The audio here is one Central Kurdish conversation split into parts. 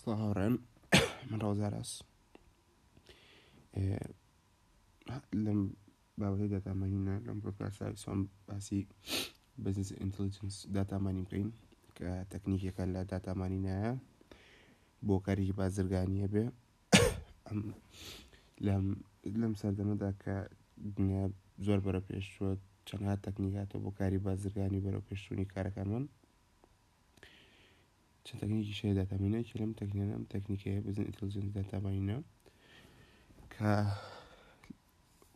سڵاو هاوڕێیان من ڕەوزاراس لەم بابەتی data mining ە لەم پۆدکاستە ویستم باسی business intelligence data mining بکەین کە تەکنیکێکە لە data mining ایە بۆ کارێکی بازرگانیە بێ ئەم لەم لەم سەردەمەدا کە دنیا زۆر بەرە پێشچووە چەندها تەکنیک هاتەوە بۆ کاری بازرگانی بەرەو پێشچوونی کارەکانمان چەند تەکنیکیش هەیە data mining ە یەکێ لەم تەکنیکانە ئەم تەکنیکەیە business intelligence data mining ە کە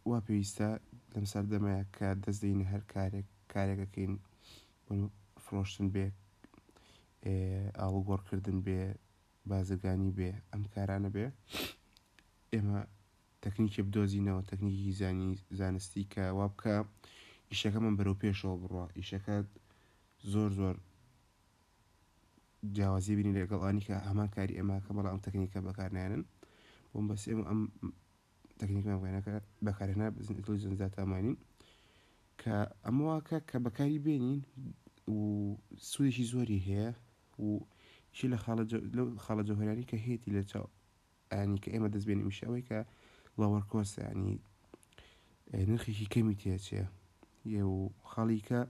وا پێویستە لەم سەردەمەیە کە دەست دەینە هەر کارێک کارێکەکەین فرۆشتن بێ ئاڵوگۆڕکردن بێ بازرگانی بێ ئەم کارانە بێ ئێمە تەکنیکێ بدۆزینەوە تەکنیکی زانی زانستی کە وا بکە ئیشەکەمان بەرەو پێشەوە بڕوا ئیشەکە زۆر زۆر جیاوازی بینی لەگەڵ ئەوانی کە هەمان کاری ئێمە کە بەڵام ئەم تەکنیکە بەکارنایەنن بۆم بەس ئێمە ئەم تەکنیکمان بەکارهێنا business intelligence data mining کە ئەمە واکە کە بەکاری بێنین و سوودێکی زۆری هەیە و چی لە خاڵە لەو خاڵە جەوهەرانی کە هەیەی لە چاو ینی کە ئێمە دەست بێنین میشە ئەوەی کە lower cost ینی نرخێکی کەمی تێچێ یە و خاڵی کە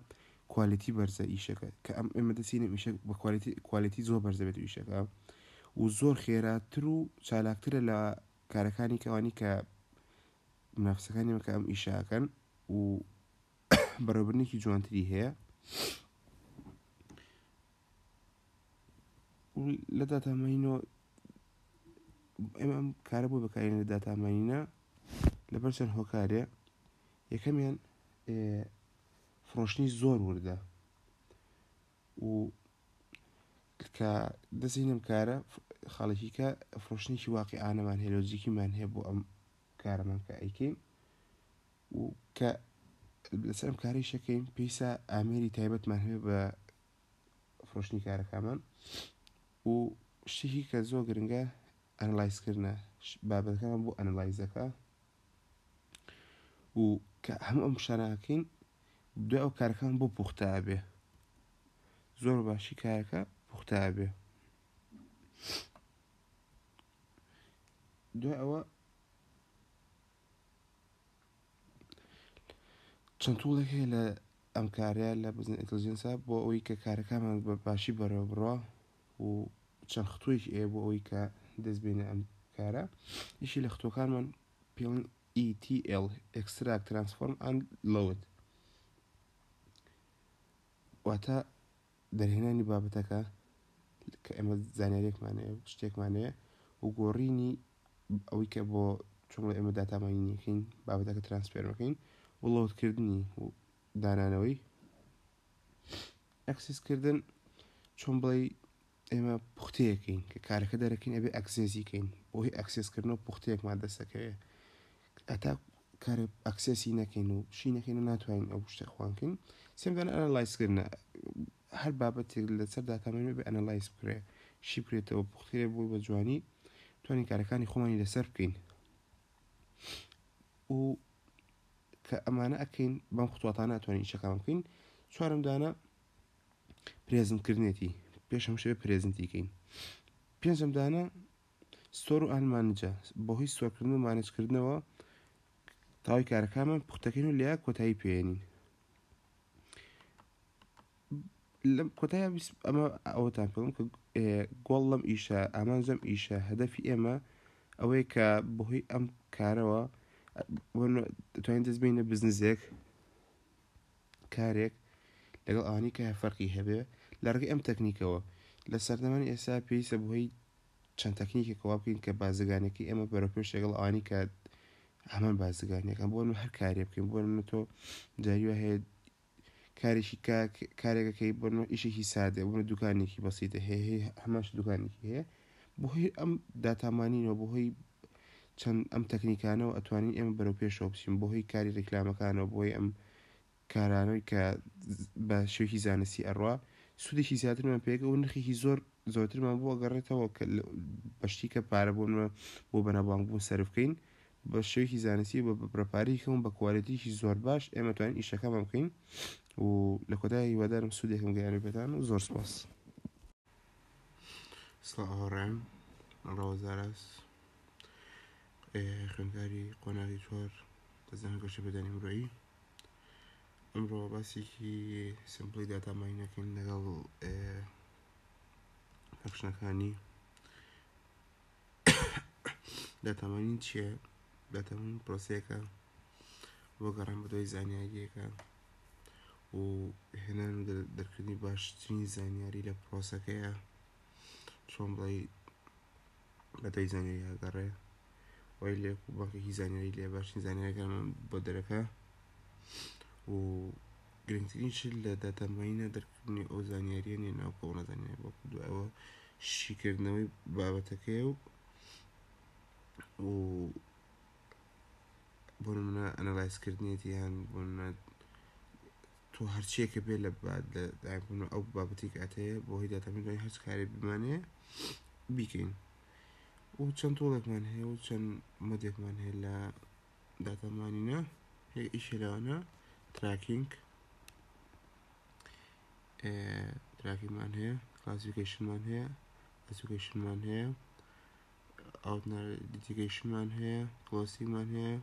quality بەرزە ئیشەکە کە ئەم ئێمە دەچینە ئیشە بە quality quality زۆر بەرزە بێت ئیشەکە و زۆر خێراتر و چالاکترە لە کارەکانی کەوانی کە منافسەکانی مەکە ئەم ئیشاکەن و بەڕێوەبردنێکی جوانتری هەیە لە data mining ەوە ئێمە ئەم کارە بۆ بەکارین لە data mining ە لەبەر چەند هۆکارێ یەکەمیان فرۆشتنی زۆر وردە و کە دەستینم کارە خاڵێکی کە فرۆشتنێکی واقعانەمان هەیە لۆجیکیمان هەیە بۆ ئەم کارەمان کە ئەیکەین و کە لەسەر ئەم کارەی شەکەین پێویستە ئامێری تایبەتمان هەبێ بە فرۆشتنی کارەکانمان و شتێکی کە زۆر گرنگە analyze کردنە بابەتەکەمان بۆ analyze ەکە و کە هەموو ئەم شانەکەین دوای ئەو کارەکان بۆ پوختە بێ زۆر باشی کارەکە پوختە بێ دوای ئەوە چەند tool ێک هەیە لە ئەم کارەیە لە business intelligence ە بۆ ئەوەی کە کارەکانمان بە باشی بەڕێوە بڕوا و چەند خطوەیەکی ئەیە بۆ ئەوەی کە دەست بێنە ئەم کارە یەکی لە خطوەکانمان پێڵن ETL Extract Transform and Load واتە دەرهێنانی بابەتەکە کە ئێمە زانیاریەکمان هەیە شتێکمان هەیە و گۆڕینی ئەوەی کە بۆ چۆن بڵێ ئێمە data mining ەکەین بابەتەکە transform ەکەین و load کردنی و دانانەوەی access کردن چۆن بڵێ ئێمە پوختەیەکەین کە کارەکە دەرەکەین ئەبێ access ی کەین بۆ هی access کردنەوە پوختەیەکمان دەستەکەوێ هەتا کارێ access ی نەکەین و شی نەکەین و ناتوانین ئەو شتە خوانکەین سێمدان analyze کردنە هەر بابەتێک لەسەر data mining بێ analyze بکرێ شی بکرێتەوە پوخترێ بۆی بە جوانی توانین کارەکانی خۆمانی لەسەر بکەین و کە ئەمانە ئەکەین بەم خطواتانە ئەتوانین ئیشەکان بکەین چوارم دانە present کردنێتی پێش هەموو شتێک present ی کەین پێنجەم دانە store و and manage ە بەهۆی store کردن و manage کردنەوە تەواوی کارەکانمان پوختەکەین و لە کۆتایی پێێنین لەم کۆتایی ئەمە ئەوەتان پێڵم کە گۆڵ لەم ئیشە ئامانجم ئیشە هەدەفی ئێمە ئەوەیە کە بەهۆی ئەم کارەوە توانین دەست بینە بزنزێک کارێک لەگەڵ ئەوانەی کە فەرقی هەبێ لە ڕێگەی ئەم تەکنیکەوە لە سەردەمانی ئێستا پێویستە بۆی چەند تەکنیکێکەوە بکەین کە بازرگانەکەی ئێمە بەرەو پێش لەگەڵ ئەوانی کە هەمان بازرگانیەکان بۆ هەر کارێ بکەین بۆ من تۆ جاری وا هەیە کارێکی کارێکەکەی بۆ ئیشێکی سادە بۆ دوکانێکی بەسیتە هەیە هەماش دوکانێکی هەیە بەهۆی ئەم data mining ەوە بەهۆی چەند ئەم تەکنیکانەوە ئەتوانین ئێمە بەرەو پێشەوە بچین بەهۆی کاری ڕیکلامەکانەوە بۆی ئەم کارانەی کە بە شێوەیەکی زانستی ئەڕوا سوودێکی زیاترمان پێگە و نرخێکی زۆر زۆرترمان بۆ ئەگەڕێتەوە کە بەشتی کە پارە بۆ بۆ بەناوبانگ بوون سەرف بکەین بە شێوەیەکی زانستی بە بڕەپارەی کەم بە quality یەکی زۆر باش ئێمە توانین ئیشەکەمان بکەین و لە کۆتایی هیوادارم سوودێکم گەیاندبێتان و زۆر سپاس. سڵاو هاوڕێیان. ڕەوەزاراس خوێندکاری قۆناغی چوار لە زانکۆی گەشەپێدانی مرۆیی. ئەمڕۆ باسێکی simple ی data mining ەکەین لەگەڵ function ەکانی. data mining چییە؟ data mining پرۆسەیەکە بۆ گەڕان بەدوای زانیاریەکە و هێنان و دەرکردنی باشترین زانیاری لە پرۆسەکەیە. چۆن بڵێی بەدوای زانیاری ئەگەڕێ وای لێ بانکێکی زانیاری لێ باشترین زانیاریەکانمان بۆ دەرەکە و گرنگترین شت لە data mining ە دەرکردنی ئەو زانیاریە نیە ناو کۆمەڵە زانیاری، بەڵکو دوایەوە شیکردنەوەی بابەتەکەیە و و بۆ نمونە analyze کردنیەتی یان بۆ نمونە تۆ هەرچیەکە بێ لە ئەو بابەتی کاتەیە بۆ هی data mining دوای هەرچ کارێک بمانەیە بیکەین و چەند tool ێکمان هەیە و چەند mode ێکمان هەیە لە data mining ە. ئیشێ لەوانە tracking، tracking مان هەیە، classification مان هەیە، association مان هەیە، outlier detection مان هەیە، clustering مان هەیە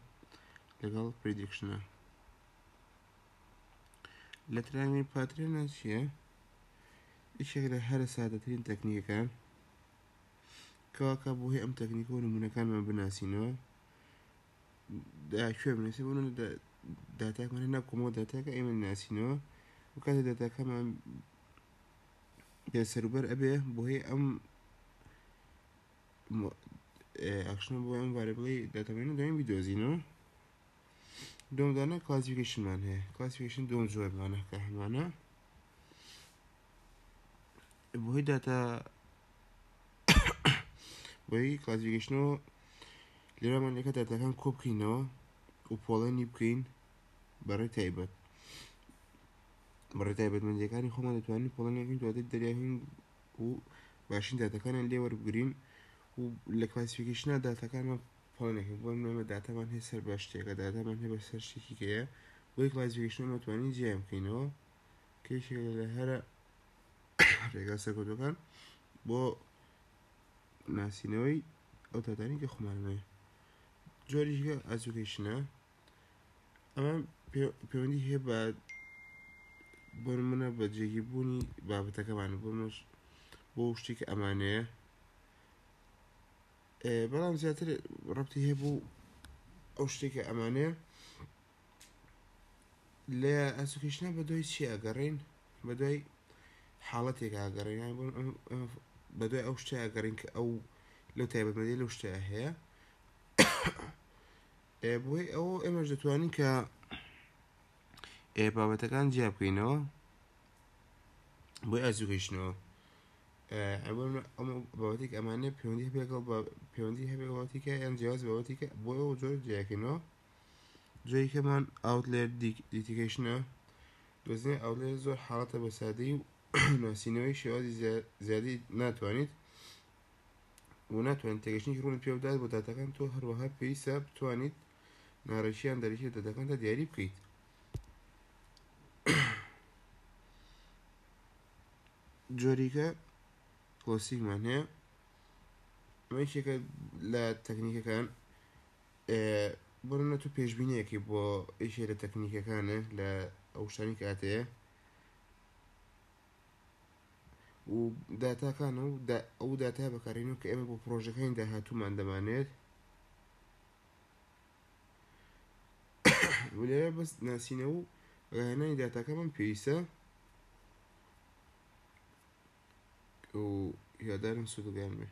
لەگەڵ prediction ە. لە tracking pattern ە چییە؟ یەکێک لە هەرە سادەترین تەکنیکەکان کەواکە بۆ هەی ئەم تەکنیکە و نمونەکانمان بناسینەوە کوێ بنووسین. بۆ داتاکمان هەنا کۆمەڵ داتاکە ئێمە ناسینەوە و کاتێ داتاکەمان بێسەروبەر ئەبێ بۆ هەی ئەم action بۆ ئەم variable ی data mining ە دوایین بیدۆزینەوە. دوم دانە classification مان هەیە. classification دوم جۆرمانە کە هەمانە بۆی داتا بۆی classification ەوە لێرەمان لەکە داتاکان کۆ بکەینەوە و پۆڵێنی بکەین بەڕێ تایبەت بەڕێ تایبەتمەندیەکانی خۆمان دەتوانین پۆڵێنێکین دواتر دەریاهین و باشین داتاکانیان لێ وەربگرین و لە classification ە داتاکانمان پۆڵێنێکین. بۆ نمونە داتامان هەیە سەر بە شتێکە، داتامان هەیە بە سەر شتێکی کەیە، بۆی classification ئەمە توانین جیایان بکەینەوە کە یەکێکە لە هەرە ڕێگا سەرکەوتوەکان بۆ ناسینەوەی ئەو داتانی کە خۆمانەوێ. جۆریشکە association ە، ئەمە پەیوەندی هەیە بە بۆ نمونە بە جێگیربوونی بابەتەکەمان بۆ بۆ شتێک ئەمانەیە، بەڵام زیاتر ڕەبتی هەیە بوو ئەو شتێکە ئەمانەیە. لە association ە بە دوای چی ئەگەڕین؟ بە دوای حاڵەتێک ئاگەڕین، بە دوای ئەو شتە ئەگەڕین کە ئەو لەو تایبەتمەندی لەو شتە هەیە. بۆی ئەو ئێمەش دەتوانین کە بابەتەکان جیا بکەینەوە بۆی association ەوە. بابەتێک ئەمانە پەیوەندی هەبێ لەگەڵ پەیوەندی هەبێ بابەتێکە یان جیاواز بابەتێکە، بۆ ئەو جۆر جیاکەینەوە. جۆریکەمان outlier detection ە. دۆزینەوەی outlier زۆر حاڵەتە بە سادەی و ناسینەوەی شێوازی زیادی ناتوانیت و ناتوانیت تێگەشتنێکی ڕوونت پێ بدات بۆ داتاکان. تۆ هەروەها پێویستە بتوانیت ناڕێکیان دەرەکی لە داتاکاندا دیاری بکەیت. جۆریکە clustering مان هەیە، ئەمە یەکێکە لە تەکنیکەکان. بۆ نمونە تۆ پێشبینیەکی بۆ یەکێ لە تەکنیکەکانە لە ئەو شتانی کاتەیە و داتاکان و ئەو داتا بەکارێنەوە کە ئێمە بۆ پرۆژەکانی داهاتوومان دەمانێت. لێرە بەس ناسینەوە و ڕاهێنانی داتاکەمان پێویستە و هیوادارم سوودگەیان بێ.